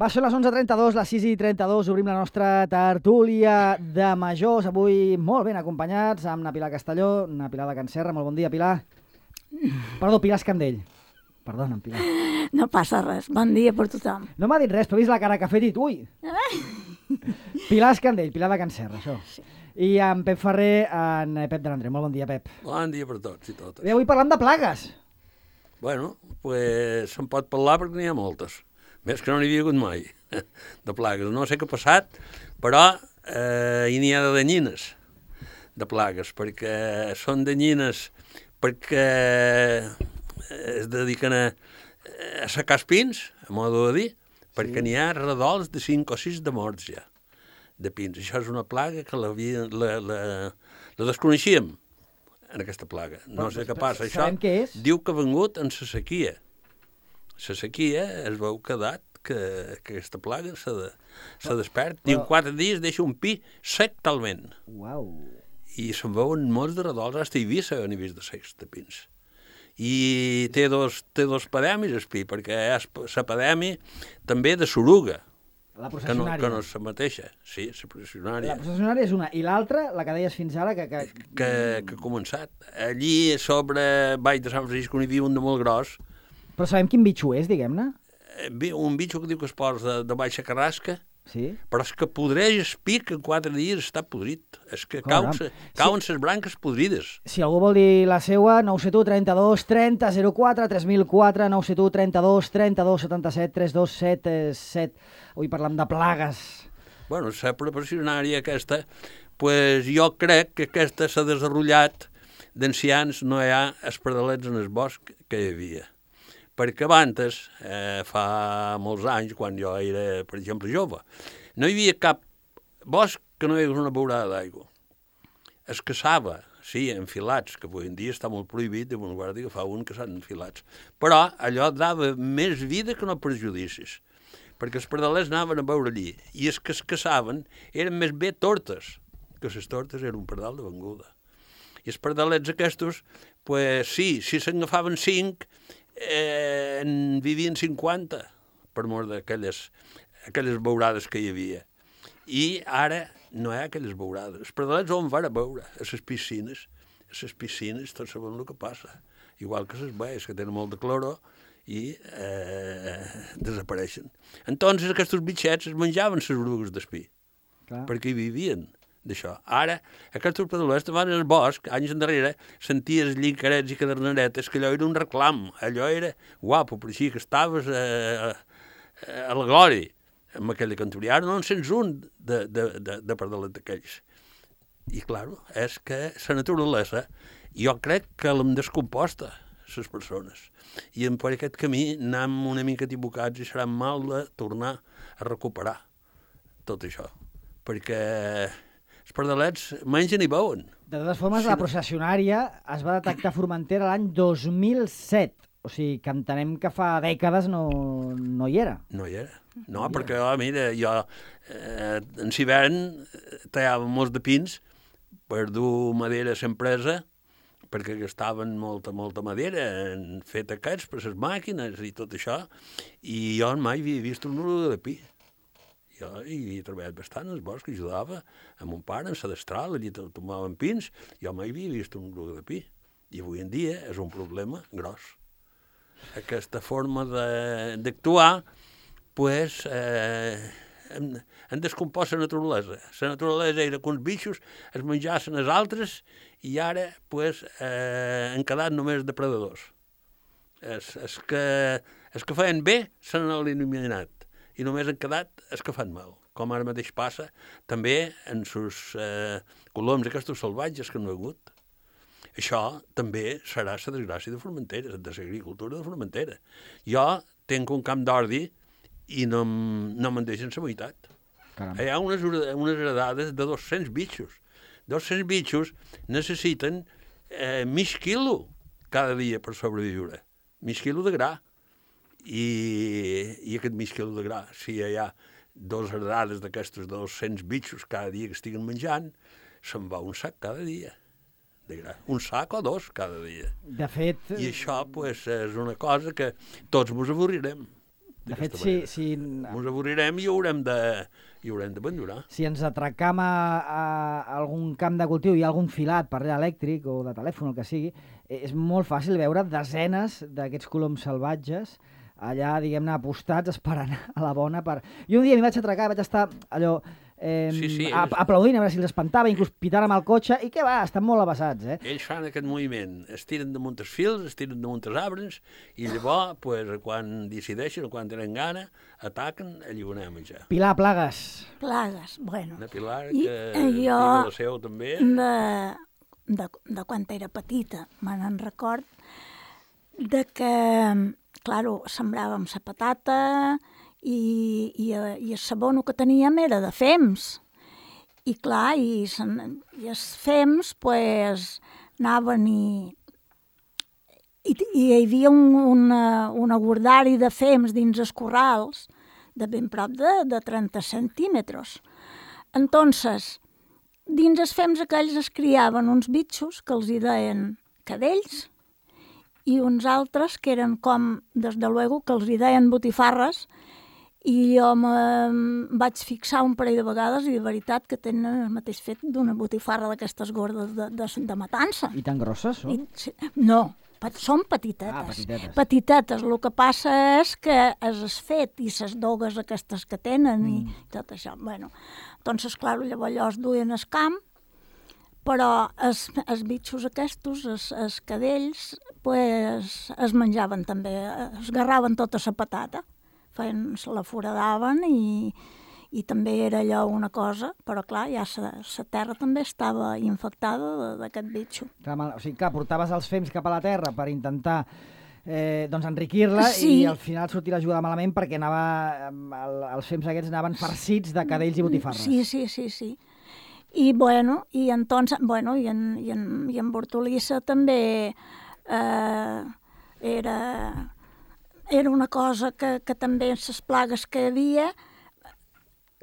Va, són les 11:32, les 6:32, obrim la nostra tertúlia de majors, avui molt ben acompanyats, amb na Pilar Castelló, na Pilar de Can Serra. Molt bon dia, Pilar. Perdó, Pilar Escandell. Perdona, Pilar. No passa res, bon dia per tothom. No m'ha dit res, però he vist la cara que ha fet i dit, ui! Pilar Escandell, Pilar de Can Serra, això. Sí. I en Pep Ferrer, en Pep de l'Andreu. Molt bon dia, Pep. Bon dia per tots i totes. I avui parlam de plagues. Bueno, pues se'n pot parlar perquè n'hi ha moltes. Més que no n'hi havia hagut mai, de plagues. No sé què ha passat, però hi n'hi ha de danyines, de plagues, perquè són danyines perquè es dediquen a secar els pins, a modo de dir, perquè n'hi ha redols de 5 o 6 de morts ja, de pins. Això és una plaga que la desconeixíem, en aquesta plaga. No sé què passa. Això què és? diu que ha vengut en la sequia. La sequia es veu que ha dat que aquesta plaga se despert i en 4 dies deixa un pi sec talment. Uau. I se'n veuen molts de redols, fins a Eivissa han vist de secs de pins. I té dos pademis el pi, perquè és l'epidèmia també de soruga, La que processionària. no és la mateixa. Sí, la processionària. La processionària és una. I l'altra, la que deies fins ara, Que ha començat. Allí, sobre Vall de Sant Francisco, n'hi havia un de molt gros, Però sabem quin bitxo és, diguem-ne? un bitxo que diu que es posa de baixa carrasca, Sí? però és que podreix el pi que en 4 dies està podrit. És que Caram. cauen les branques podrides. Si algú vol dir la seua, 971 32 30 04 3004, 971 32 32 77 3277. Avui parlam de plagues. Bueno, la professionària aquesta, pues jo crec que aquesta s'ha desenvolupat d'ancians, no hi ha espardalets en el bosc que hi havia. Perquè abans, fa molts anys, quan jo era, per exemple, jove, no hi havia cap bosc que no hi hagués una beurada d'aigua. Es caçava, sí, enfilats, que avui en dia està molt prohibit, de bon guarda agafar un que s'han enfilats. Però allò dava més vida que no perjudicis, perquè els pardalets anaven a veure allí, i els que es caçaven eren més bé tortes, que les tortes eren un pardal de venguda. I els pardalets aquests, pues sí, si se'n agafaven 5, en vivien 50, per mort d'aquelles beurades que hi havia. I ara no hi ha aquelles beurades. Els pardalets on van a veure? A les piscines. A les piscines tots sabem el que passa. Igual que les baies, que tenen molt de cloro i desapareixen. Entonces aquests bitxets es menjaven les orugues d'espí, perquè hi vivien d'això. Ara, aquests pardalets van al bosc, anys endarrere, senties llincarets i caderneretes, que allò era un reclam, allò era guapo, per així que estaves a la glòria amb aquella cantoria. Ara no en sents un de pardalet d'aquells. I, clar, és que la naturalesa, jo crec que l'hem descomposta, les persones. I per aquest camí anem una mica equivocats i serà mal de tornar a recuperar tot això. Perquè els pardalets mengen i beuen. De totes formes, la processionària es va detectar a Formentera l'any 2007. O sigui, que entenem que fa dècades no hi era. No hi era. No, perquè, mira, jo en l'hivern tallava molts de pins per dur madera a l'empresa, perquè gastaven molta madera en fet aquests per les màquines i tot això, i jo mai havia vist un oruga de pi. Jo hi havia treballat bastant al bosc, ajudava a mon pare en la destral, allí tomaven pins, jo mai havia vist un oruga de pi. I avui en dia és un problema gros. Aquesta forma d'actuar, pues, han descompost la naturalesa. La naturalesa era que uns bichos es menjassin els altres i ara, pues, han quedat només depredadors. Els que feien bé s'han eliminat i només han quedat els que fan mal. Com ara mateix passa també en els coloms aquests salvatges que no hi ha hagut. Això també serà la desgràcia de Formentera, de l'agricultura de Formentera. Jo tinc un camp d'ordi i no me'n deixen la meitat. Hi ha unes heredades de 200 bitxos. 200 bitxos necessiten mig quilo cada dia per sobreviure. Mig quilo de gra. I aquest mig quilo de gra, si hi ha 2 heredades d'aquestos 200 bitxos cada dia que estiguen menjant, se'n va un sac cada dia. Un sac o 2 cada dia. De fet... I això, pues, és una cosa que tots ens avorrirem. De fet, si ens avorrirem i ho haurem d'abandonar. Si ens atracam a algun camp de cultiu i hi ha algun filat per allà elèctric o de telèfon, el que sigui, és molt fàcil veure desenes d'aquests coloms salvatges allà, diguem-ne, apostats, esperant a la bona per... Jo un dia m'hi vaig atracar, vaig estar allò... aplaudint a veure si els espantava, inclús pitant amb el cotxe, i què va, estan molt abassats, Ells fan aquest moviment, es tiren damunt els fils, es tiren damunt els arbres, i llavors, quan decideixen, quan tenen gana, ataquen, allí ho anem a menjar. Pilar, plagues. Plagues, bueno. Una Pilar que jo, la seu també. De quan era petita, me n'en record, de que, claro, sembràvem la patata, i el sabono que teníem era de fems. I clar, i els fems pues, anaven i hi havia un agordari de fems dins els corrals de ben prop de 30 centímetres. Entonces, dins els fems aquells es criaven uns bitxos que els hi deien cadells i uns altres que eren com, des de luego, que els hi deien botifarres. I jo vaig fixar un parell de vegades i de veritat que tenen el mateix fet d'una botifarra d'aquestes gordes de matança. I tan grosses, són? No, són petitetes. Petitetes. Petitetes. El que passa és que és fet i les dogues aquestes que tenen i tot això. Bueno, doncs, clar, llavors es duien al camp, però els bitxos aquests, els cadells, pues, es menjaven també, es garraven tota la patata. Se la foradaven i també era allò una cosa, però clar, ja la terra també estava infectada d'aquest bitxo. O sigui, clar, portaves els fems cap a la terra per intentar enriquir-la i al final sortir la jugada malament perquè els fems aquests anaven farcits de cadells i botifarres. Sí. I bueno, i entonces, bueno, i en Bortolissa també era una cosa que també les plagues que hi havia,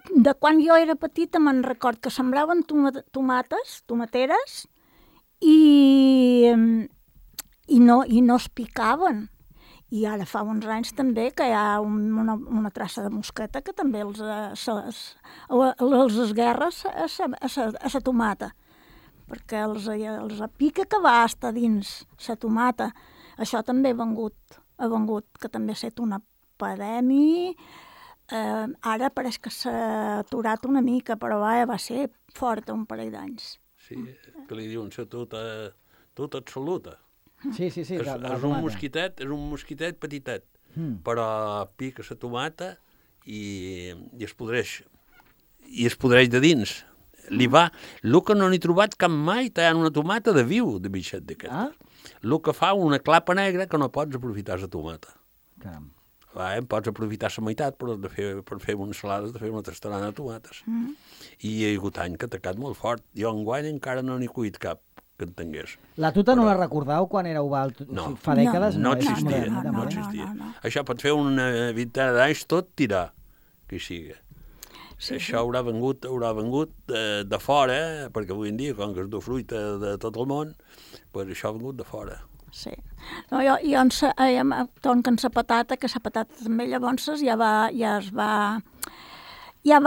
de quan jo era petita me'n record que sembraven tomateres i no es picaven. I ara fa uns anys també que hi ha una traça de mosqueta que també els esguerra a la tomata, perquè els pica que va estar dins la tomata. Això també ha vengut, que també ha estat una epidèmia. Ara pareix que s'ha aturat una mica, però va ser forta un parell d'anys. Sí, que li diuen la tota absoluta. Sí. És un mosquitet petitet, però pica la tomata i es podreix. I es podreix de dins. El que no n'he trobat cap mai, hi ha una tomata de viu, de bitxet d'aquest. El que fa una clapa negra que no pots aprofitar la tomata. Caram. Pots aprofitar la meitat, però per fer unes salades, de fer una tastarana de tomates. I hi ha hagut any que ha atacat molt fort. Jo enguany encara no n'he cuit cap que entengués. La tuta no la recordeu quan éreu no. Fa dècades? No existia. Això pot fer una vintena d'anys tot tirar, que hi sigui. Sí. Això haurà vengut de fora, perquè avui en dia, com que es du fruita de tot el món, doncs això ha vengut de fora. Sí. No, jo en la patata, que la patata també llavors ja va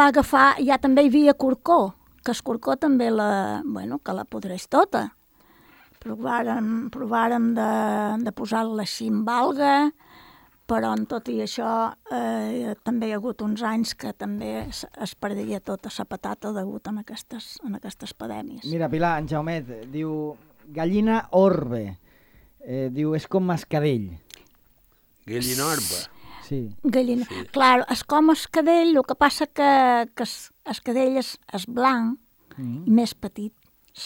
agafar, ja també hi havia corcó, que el corcó també que la podreix tota. Provàrem de posar-la així en alga, però en tot i això també hi ha hagut uns anys que també es perdia tota la patata degut a aquestes epidèmies. Mira, Pilar, en Jaumet diu gallina orbe. Diu, és com mascadell. Gallina orbe. Sí. Gallina. Sí. Clar, és com escadell, el que passa que escadell és blanc i més petit.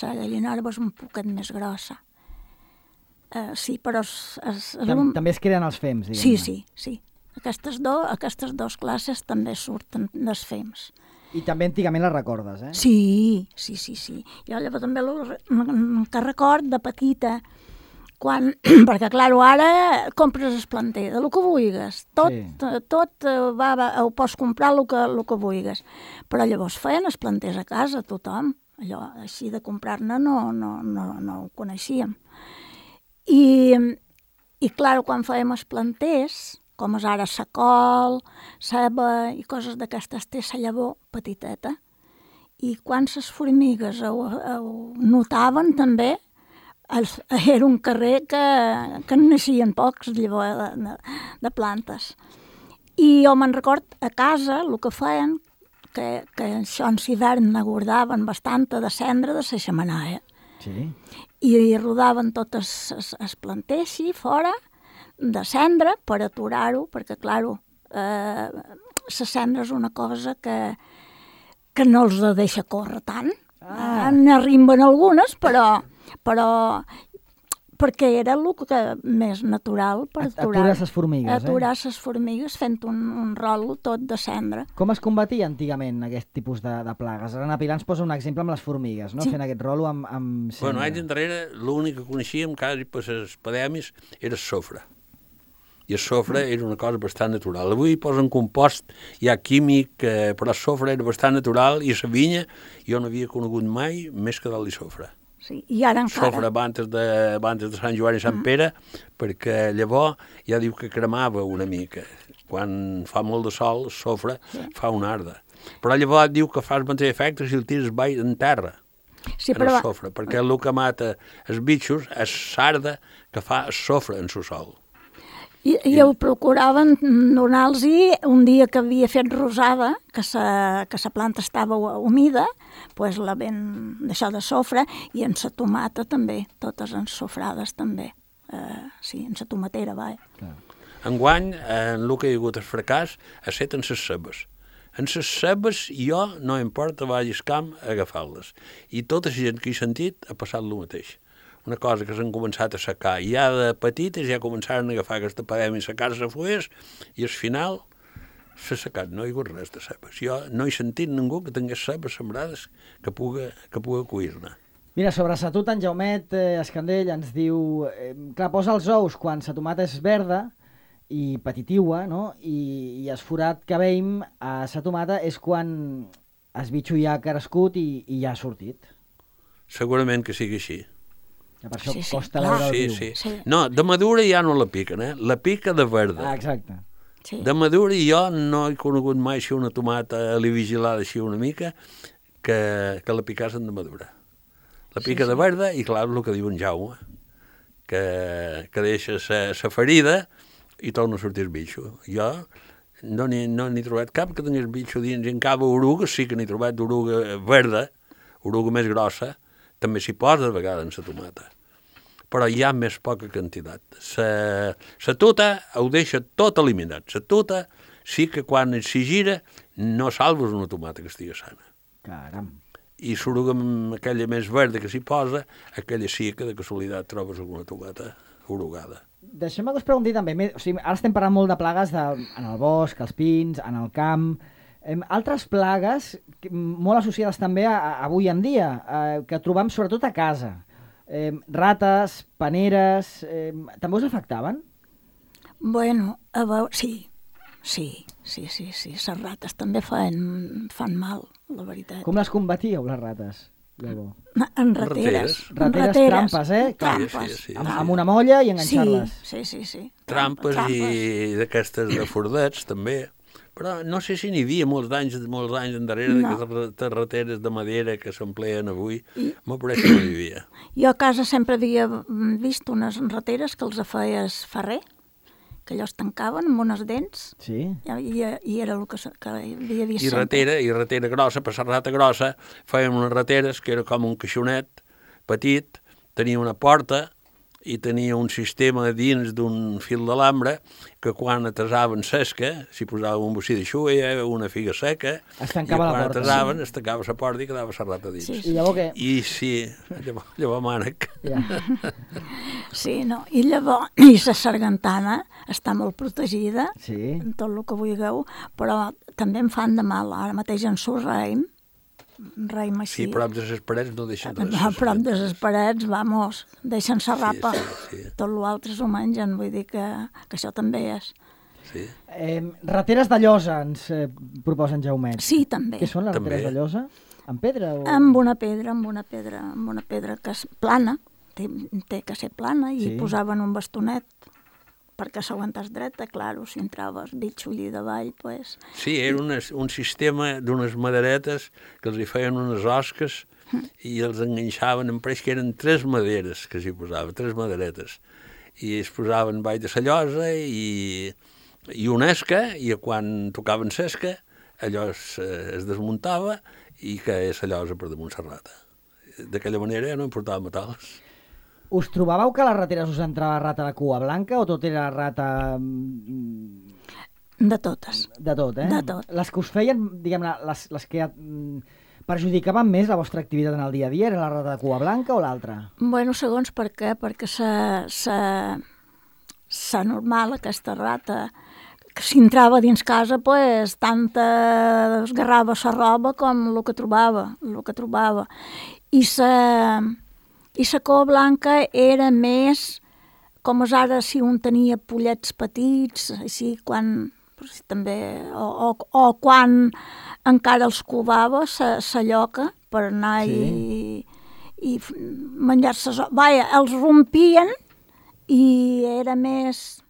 La gallina orbe és un poquet més grossa. Sí, però també es creen els fems, diguem-ne. Sí. Aquestes dues classes també surten dels fems. I també antigament les recordes, eh? Sí. Jo llavors també que record de petita, perquè, clar, ara compres el planter, del que vulguis. Tot ho pots comprar el que vulguis. Però llavors feien els planters a casa, tothom. Allò, així de comprar-ne no ho coneixíem. I clar, quan fèiem els planters, com és ara la col, ceba i coses d'aquestes, té la llavor petiteta. I quan les formigues ho notaven també, era un carrer que en naixien pocs llavors de plantes. I jo me'n record, a casa el que feien, que això en l'hivern n'aguardaven bastanta de cendra de la xemenaia. Sí. I rodaven totes els planters així, fora, de cendra, per aturar-ho, perquè, clar, la cendra és una cosa que no els deixa córrer tant. N'arrimben algunes, però perquè era el que més natural per aturar les formigues. Aturar les formigues fent un rol tot de cendra. Com es combatia antigament aquest tipus de plagues? Ara na Pilar ens posa un exemple amb les formigues, no? Sí. Fent aquest rolo amb cendra. Bueno, anys enrere l'únic que coneixíem quasi per les epidèmies era el sofre. I el sofre era una cosa bastant natural. Avui posen compost, hi ha químic, però el sofre era bastant natural i la vinya jo no havia conegut mai més que del sofre. Sí, i ara encara. Sofre abans de Sant Joan i Sant Pere, perquè llavors ja diu que cremava una mica. Quan fa molt de sol, el sofre fa una arda. Però llavors diu que fa el mateix efecte si el tires baix en terra, en el sofre, perquè el que mata els bitxos és l'arda que fa el sofre en el sol. I ho procuraven donar-los un dia que havia fet rosada, que la planta estava humida, doncs la ven d'això de sofre, i en la tomata també, totes ensofrades també. Sí, en la tomatera, va. Enguany, en el que hi ha hagut el fracàs, ha estat en les cebes. En les cebes jo no importa vagis camp a agafar-les. I tota la gent que he sentit ha passat el mateix. Una cosa que s'han començat a secar. I ja de petites ja començaren a agafar aquesta epidèmia, secar-se fulles, i al final s'ha secat, no hi ha hagut res de cebes. Jo no he sentit ningú que tingués cebes sembrades que puga cuir-ne. Mira, sobre sa tuta, en Jaumet Escandell ens diu... clar, posa els ous quan sa tomata és verda i petitiua, no? I el forat que veiem a sa tomata és quan el bitxo ja ha crescut i ja ha sortit. Segurament que sigui així. Per això costa veure el viu. Sí. No, de madura ja no la piquen, la pica de verda. Exacte. Sí. De madura jo no he conegut mai si una tomata li vigilada així una mica que la picassen de madura. La pica de verda i clar, el que diu en Jaume, que deixa la ferida i torna a sortir el bitxo. Jo no n'he trobat cap que tingués bitxo dins, i en cada oruga sí que n'he trobat d'oruga verda, oruga més grossa, també s'hi posa de vegades en la tomata. Però hi ha més poca quantitat. La tuta ho deixa tot eliminat. La tuta sí que quan s'hi gira no salves una tomata que estigui sana. Caram. I s'oruga amb aquella més verda que s'hi posa, aquella sí que de casualitat trobes alguna tomata orugada. Deixem-me que us pregunti també, o sigui, ara estem parlant molt de plagues en el bosc, als pins, en el camp. Altres plagues molt associades també avui en dia, que trobam sobretot a casa. Rates, paneres, també us afectaven? Bueno, a veure, sí. Les rates també fan mal, la veritat. Com les combatíeu, les rates? En rateres. Rateres, trampes, Trampes. Sí. Amb una molla i enganxar-les. Sí. Trampes i d'aquestes de fordets, també. Però no sé si n'hi havia molts anys endarrere d'aquestes rateres de madera que s'empleen avui. M'ho pareix que no hi havia. Jo a casa sempre havia vist unes rateres que els feia el ferrer, que allò es tancaven amb unes dents. Sí. I era el que havia vist sempre. I ratera grossa, per la rata grossa, feien unes rateres que era com un caixonet petit, tenia una porta i tenia un sistema dins d'un fil d'alambre que quan atasaven sesca, s'hi posava un bocí de xulla, una figa seca, es tancava la porta. I quan atasaven es tancava la porta i quedava la rata dins. Sí. I llavors què? I sí, llavors mànec. Ja. Sí, no, i llavors, i la sargantana està molt protegida, en tot el que vulgueu, però també em fan de mal. Ara mateix en surt raïm així. Sí, prop de les parets no deixen res. A prop de les parets, vamos, deixen la rapa. Sí. Tot l'altre s'ho mengen, vull dir que això també és. Sí. Rateres de llosa ens proposen Jaumet. Sí, també. Què són les rateres de llosa? Amb pedra? Amb una pedra que és plana, té que ser plana, i posaven un bastonet perquè s'aguantés dreta, clar, si entraves bitxo allí davall, pues... Sí, era un sistema d'unes maderetes que els hi feien unes osques i els enganxaven, em pareix que eren 3 maderes que s'hi posava, 3 maderetes. I es posaven baix de la llosa i una esca, i quan tocaven l'esca, allò es desmuntava i caia la llosa per damunt la rata. D'aquella manera no importava matar-les. Us trobàveu que a les rateres us entrava rata de cua blanca o tot era rata... De totes. De tot, eh? De tot. Les que us feien, diguem-ne, les que perjudicaven més la vostra activitat en el dia a dia, eren la rata de cua blanca o l'altra? Bueno, segons per què, perquè sa normal, aquesta rata, que si entrava dins casa, pues, tant esgarrava sa roba com el que trobava. I sa cua blanca era més, com és ara, si un tenia pollets petits, així, quan, també, o quan encara els covava, sa lloca, per anar i menjar-se... Vaja, els rompien i era més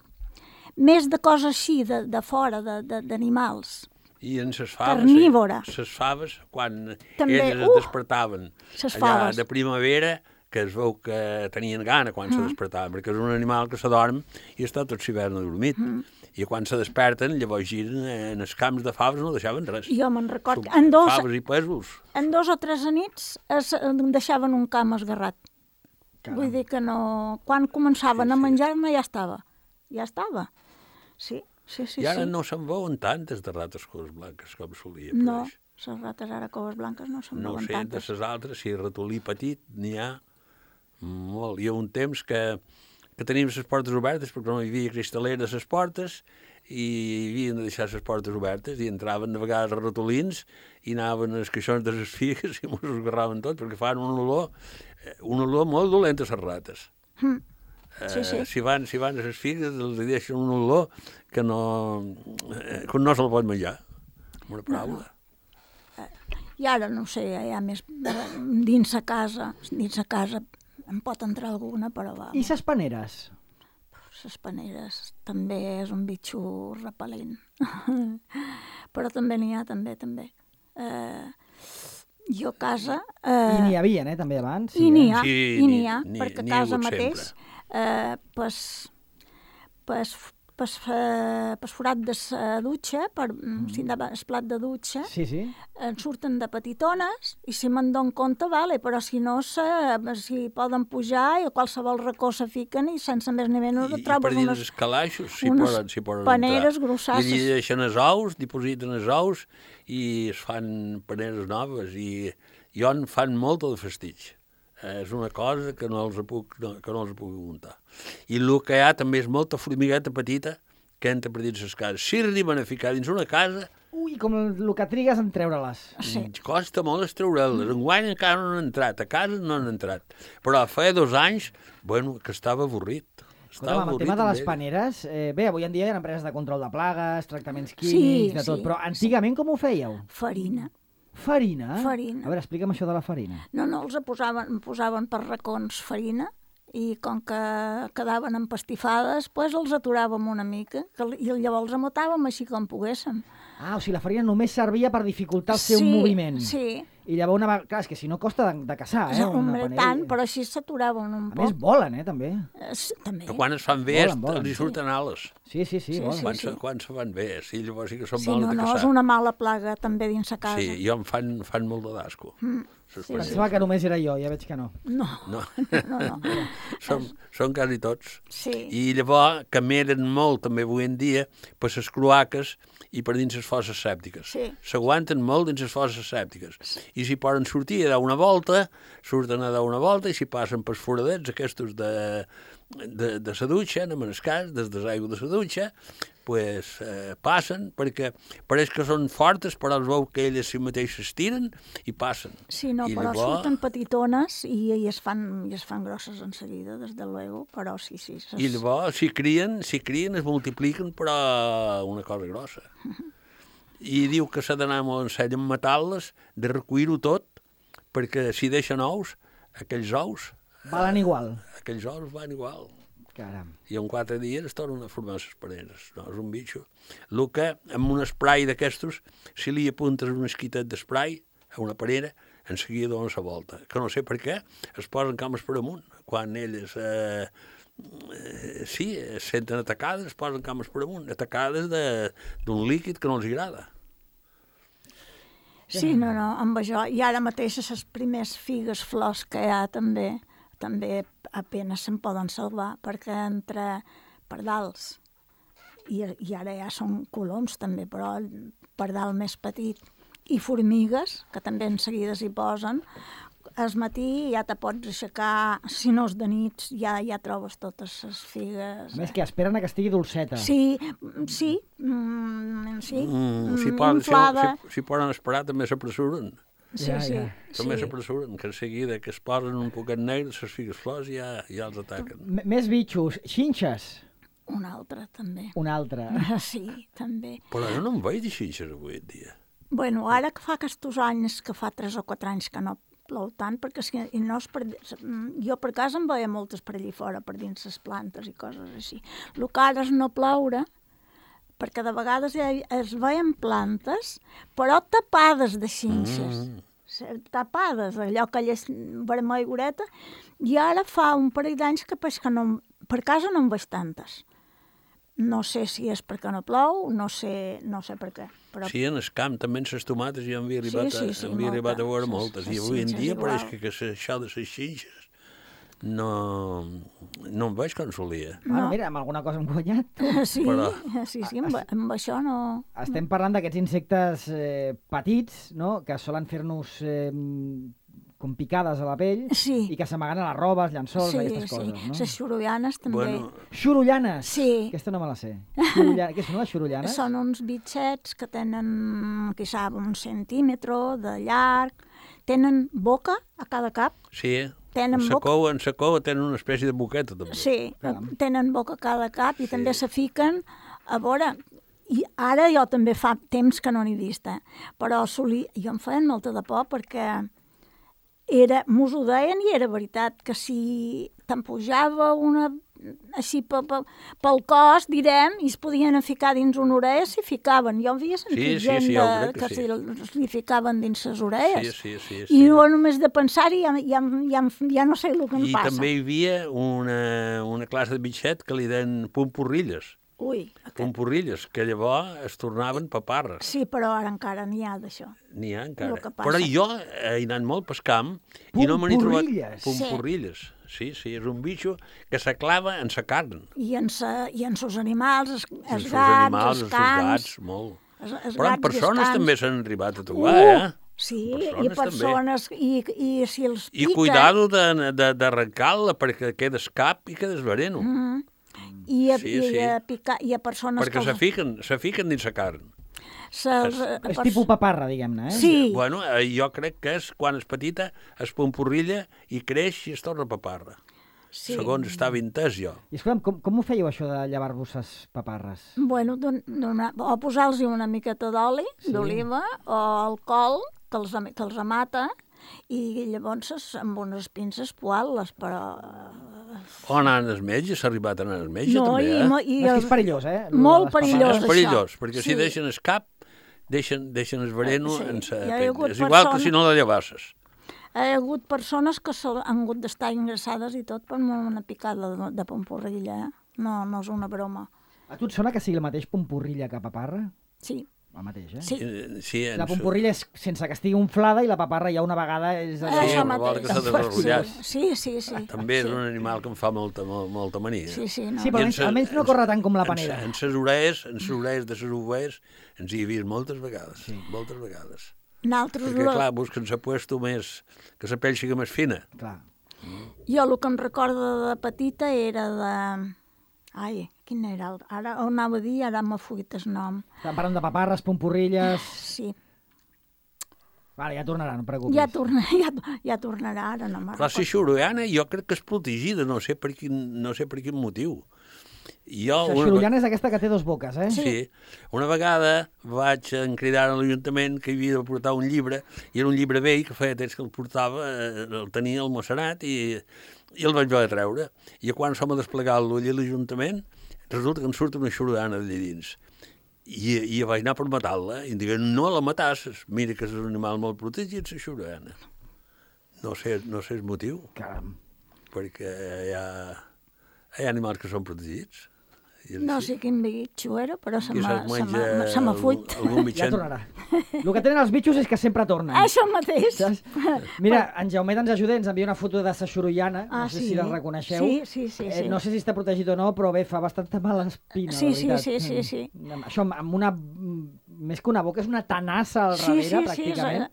de coses així, de fora, d'animals. I en ses faves, carnívora. Ses faves, quan també, elles es despertaven ses allà faves. de primavera, que es veu que tenien gana quan se despertaven, perquè és un animal que s'adorm i està tot l'hivern adormit. I quan se desperten, llavors giren en els camps de faves, no deixaven res. Jo me'n record que Faves i pèsols. en 2 o 3 nits deixaven un camp esgarrat. Caram. Vull dir que no... Quan començaven a menjar-ne ja estava. Sí. I ara no se'n veuen tantes de rates coves blanques com solia. No, les rates ara coves blanques no se'n No veuen sé, de tantes. les altres, si ratolí petit, n'hi ha molt. Hi ha un temps que teníem les portes obertes perquè no hi havia cristalera a les portes i havien de deixar les portes obertes i entraven de vegades ratolins i anaven als caixons de les figues i mos esgarraven tot perquè fan un olor molt dolent a les rates. Sí. Si van a les figues els deixen un olor que no se'l pot menjar. Amb una paraula. I ara, no sé, hi ha més... Dins a casa em pot entrar alguna, però va. I ses paneres? Les paneres també és un bitxo repel·lent. Però també n'hi ha, també. Jo a casa... I n'hi havia, també, abans? I n'hi ha, Sí, perquè n'hi a ha casa hagut mateix, pas forat de la dutxa, si endava el plat de dutxa, Sí. en surten de petitones i si me'n dono compte, vale, però si no, si poden pujar i a qualsevol racó se fiquen i sense més ni menys I per trobes dins unes els calaixos s'hi unes poden paneres entrar. grossasses. I allí deixen els ous, dipositen els ous i es fan paneres noves i en fan molt de festig. És una cosa que no els puc muntar. I el que hi ha també és molta formigueta petita que entra per dins les cases. Si arriben a ficar dins una casa, Ui, com el que trigues en treure-les. Sí. costa molt estreure'les. Enguany encara no han entrat, a casa no han entrat. Però fa 2 anys, que estava avorrit. Escolta'm, amb el tema de les paneres, bé, avui en dia hi ha empreses de control de plagues, tractaments químics, de tot, però antigament com ho fèieu? Farina. Farina? Farina. A veure, explica'm això de la farina. No, els posaven per racons farina i com que quedaven empastifades, doncs els aturàvem una mica i llavors els amotàvem així com poguéssim. Ah, o sigui, la farina només servia per dificultar el seu moviment. Sí. I llavors, clar, és que si no costa de caçar, Hombre, tant, però així s'aturaven un A poc. més, volen, també. També. Però quan es fan bé, Volen, els hi surten ales. Sí, volen. Quan se fan bé, sí, llavors sí que són Sí, mals de no, caçar. és una mala plaga també dins la casa. Sí, jo em fan molt de d'asco. Pensava que només era jo, ja veig que no. No. Són quasi tots. Sí. I llavors cameren molt també avui en dia per les cloaques i per dins les fosses sèptiques. Sí. S'aguanten molt dins les fosses sèptiques. I si poden sortir a dar una volta, surten a dar una volta, i si passen pels foradets aquests de la dutxa, en el cas, des de l'aigua de la dutxa, pues, passen, perquè pareix que són fortes, però es veu que elles si mateixes tiren i passen. Sí, no, I però llavors... surten petitones i es fan grosses en seguida, des de luego, però sí. I llavors, si crien, es multipliquen, però una cosa grossa. I diu que s'ha d'anar molt en sèrio en matar-les, de recollir-ho tot, perquè si deixen ous, aquells ous... Valen igual. Aquells ous van igual. Caram. I en 4 dies es tornen a formar les pareres. No, és un bitxo. El que, amb un spray d'aquestos, si li apuntes un esquitet d'esprai a una parera, en seguida donen la volta. Que no sé per què, es posen cames per amunt. Quan elles es senten atacades, es posen cames per amunt, atacades d'un líquid que no els agrada. Sí, no, amb això. I ara mateix les primers figues flors que hi ha també apenas se'n poden salvar, perquè entre pardals i ara ja són coloms també, però el pardal més petit i formigues, que també en seguida s'hi posen, al matí ja te pots aixecar, si no és de nits, ja trobes totes les figues. A més que esperen a que estigui dolceta. Sí, inflada. Si poden esperar també s'apressuren. Sí. També s'apressuren, que en seguida que es posen un poquet negre, les figues flors ja els ataquen. Més bitxos, xinxes. Un altre, també. Un altre. Sí, també. Però jo no em veig de xinxes avui en dia. Bueno, ara que fa aquests anys, que fa 3 o 4 anys que no plou tant, perquè no és jo per casa em veia moltes per allí fora, per dins les plantes i coses així. El que ara és no ploure, perquè de vegades es veien plantes, però tapades de xinxes. Tapades, allò que és vermelloreta, i ara fa un parell d'anys que per casa no en veig tantes. No sé si és perquè no plou, no sé per què. Però... Sí, en el camp també en les tomates ja havia arribat a veure moltes. I avui en dia pareix que això de les xinxes no em veig com solia. Bueno, mira, amb alguna cosa hem guanyat. Sí, amb això no... Estem parlant d'aquests insectes petits, no?, que solen fer-nos com picades a la pell i que s'amaguen a les robes, llençols, aquestes coses, no? Les xurullanes també. Bueno. Xurullanes? Sí. Aquesta no me la sé. Què són les xurullanes? Són uns bitxets que tenen, quizà, 1 centímetre de llarg, tenen boca a cada cap. Sí, en la cova tenen una espècie de boqueta, també. Sí, tenen boca a cada cap i també se fiquen a veure... I ara jo també fa temps que no n'he vist, però jo em feien molta de por perquè mos ho deien i era veritat, que si te'n pujava una així pel cos, direm, i es podien ficar dins una orella, s'hi ficaven. Jo havia sentit gent que li ficaven dins les orelles. I no només de pensar-hi ja no sé el que em passa. I també hi havia una classe de bitxet que li deien pumpurrilles. Pumpurrilles, que llavors es tornaven paparres. Sí, però ara encara n'hi ha d'això. N'hi ha encara. Però jo he anat molt pel camp i no me n'he trobat... Pumpurrilles. Sí, és un bitxo que s'aclava en sa carn. I en sos animals, els gats, els cans... molt. Però en persones també s'han arribat a trobar, Sí, i persones, i si els pica... I cuidado d'arrencar-la perquè quedes cap i quedes veneno. I a persones perquè se fiquen dins la carn. És tipus paparra, diguem-ne, Sí. Bueno, jo crec que és quan és petita, es pompurrilla i creix i es torna paparra. Segons estava entès jo. I escolta'm, com ho fèieu això de llevar-vos les paparres? Bueno, o posar-los una miqueta d'oli, d'oliva, o alcohol, que els amata, i llavors amb unes pinces poal-les, però... O anar als metges, s'ha arribat a anar als metges, també, És perillós, Molt perillós, és perillós, perquè si deixen el cap, deixen el veneno en sa pell. És igual que si no la llevasses. Hi ha hagut persones que han hagut d'estar ingressades i tot per una picada de pompurrilla, No és una broma. A tu et sona que sigui el mateix pompurrilla que paparra? Sí. El mateix, Sí. La pompurrilla és sense que estigui inflada i la paparra ja una vegada és... Això mateix. Sí. També és un animal que em fa molta mania. Sí, però almenys no corre tant com la panera. En les orelles de les ovelles ens hi he vist moltes vegades. Moltes vegades. Perquè, clar, busquen s'apuesto més, que la pell sigui més fina. Clar. Jo el que em recordo de petita era de... Ai, quin era? Ara ho anava a dir, ara m'ha fugit el nom. Estan parlant de paparres, pompurrilles... Sí. Vale, ja tornarà, no et preocupis. Ja tornarà, ara no me'n recordo. Però si xurullana jo crec que és protegida, no sé per quin motiu. Jo, La xorollana és aquesta que té dos boques, eh? Sí. Una vegada vaig cridar a l'Ajuntament que havia de portar un llibre, i era un llibre vell que feia temps que el portava, el tenia almacenat i el vaig haver de treure. I quan som a desplegar-lo allà a l'Ajuntament, resulta que em surt una xorollana d'allà dins. I vaig anar per matar-la, i em diguen, no la matasses, mira que és un animal molt protegit, la xorollana. No sé el motiu. Caram. Perquè hi ha animals que són protegits. No sé quin bitxo era, però se I m'ha fuit. Ja tornarà. El que tenen els bitxos és que sempre tornen. Això mateix. Saps? Mira, en Jaumet ens ajuda, ens envia una foto de sa xorollana, no sé sí. si la reconeixeu. Sí. No sé si està protegit o no, però bé, fa bastanta mala espina, Sí. la veritat. Sí. Això, amb una... Més que una boca, és una tanassa al darrere, pràcticament.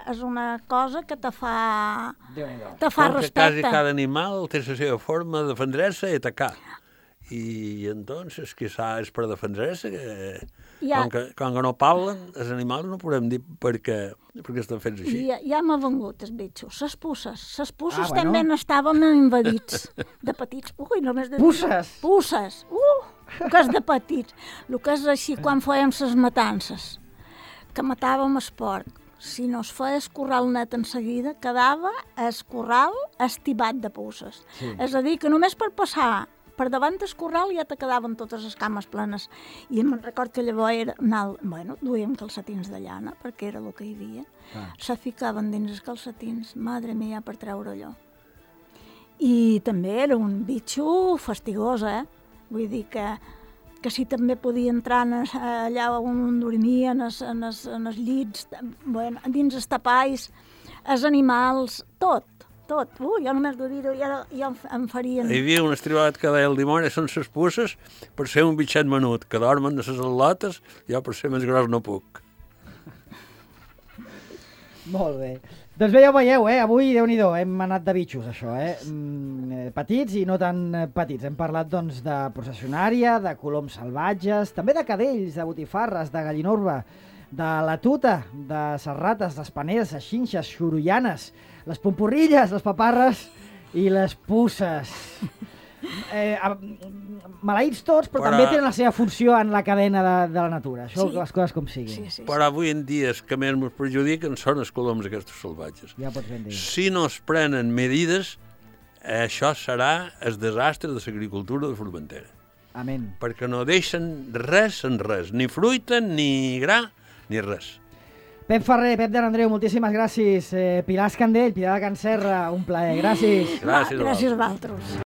És una cosa que te fa Quasi respecte. cada animal té la seva forma de defendre-se i atacar. I entonces, quizá és per defendre-se, com que no parlen, els animals no podem dir perquè estan fets així. Ja m'ha vengut els bitxos. Ses pusses també n'estàvem invadits, de petits. Ui, només de... Pusses? Pusses. El que és de petits. El que és així, quan fèiem ses matances, que matàvem el porc, si no es feia escorral net en seguida, quedava escorral estibat de pusses. Sí. És a dir, que només per passar per davant del corral ja te quedaven totes les cames plenes. I me'n record que llavors duíem calcetins de llana, perquè era el que hi havia. Se ficaven dins els calcetins, madre mia, per treure allò. I també era un bitxo fastigós, Vull dir que si també podia entrar allà on dormia, en els llits, dins els tapalls, els animals, tot. Jo només de dir-ho ja em farien... Hi havia un estribat que deia el dimoni són ses pusses per ser un bitxet menut, que dormen a ses al·lotes, jo per ser més gros no puc. Molt bé. Doncs bé, ja ho veieu, avui, Déu-n'hi-do, hem anat de bitxos, això, petits i no tan petits. Hem parlat, doncs, de processionària, de coloms salvatges, també de cadells, de botifarres, de gallinorba, de la tuta, de ses rates, les paneres, les xinxes, xorollanes, les pompurrilles, les paparres i les pusses. Maleïts tots, però també tenen la seva funció en la cadena de la natura. Això, les coses com siguin. Sí. Però avui en dia els que més ens perjudiquen són els coloms aquests salvatges. Ja pots ben dir. Si no es prenen medides, això serà el desastre de l'agricultura de Formentera. Amén. Perquè no deixen res en res, ni fruita, ni gra, ni res. Pep Ferrer, Pep de Andreu, moltíssimes gràcies. Pilar Escandell, Pilar de Can Serra, un plaer. Gràcies. Gràcies a vosaltres.